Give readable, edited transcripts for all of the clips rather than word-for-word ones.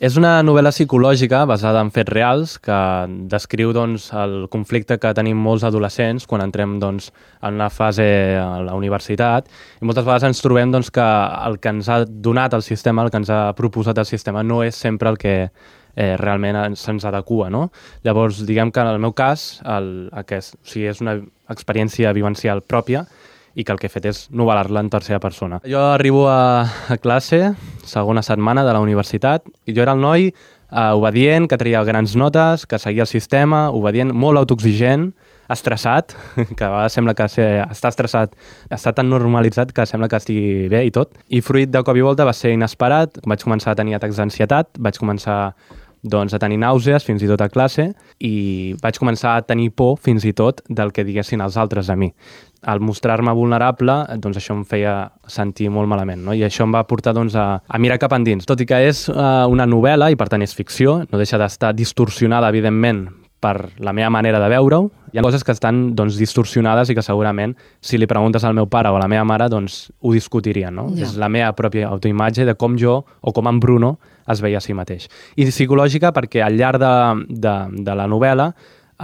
És una novel·la psicològica basada en fets reals que descriu doncs, el conflicte que tenim molts adolescents quan entrem doncs, en una fase a la universitat i moltes vegades ens trobem doncs, que el que ens ha donat el sistema, el que ens ha proposat el sistema no és sempre el que realment se'ns adequa. No? Llavors, diguem que en el meu cas és una experiència vivencial pròpia i que el que he fet és novel·lar-la en tercera persona. Jo arribo a classe, segona setmana de la universitat, i jo era el noi obedient, que treia grans notes, que seguia el sistema, obedient, molt autoexigent, estressat, que a vegades sembla que estar estressat està tan normalitzat que sembla que estigui bé i tot. I fruit de cop i volta va ser inesperat, vaig començar a tenir atacs d'ansietat, vaig començar a tenir nàusees fins i tot a classe i vaig començar a tenir por fins i tot del que diguessin els altres de mi. Al mostrar-me vulnerable, doncs això em feia sentir molt malament, no? I això em va portar a mirar cap endins. Tot i que és una novel·la i per tant és ficció, no deixa d'estar distorsionada, evidentment, per la meva manera de veure-ho. Hi ha coses que estan distorsionades i que segurament, si li preguntes al meu pare o a la meva mare, ho discutirien. No? Ja. És la meva pròpia autoimatge de com jo o com en Bruno es veia a si mateix. I psicològica perquè al llarg de la novel·la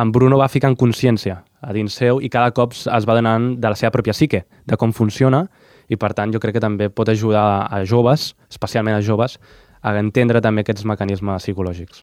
en Bruno va ficant consciència a dins seu i cada cop es va donant de la seva pròpia psique, de com funciona, i per tant jo crec que també pot ajudar a joves, especialment a joves, a entendre també aquests mecanismes psicològics.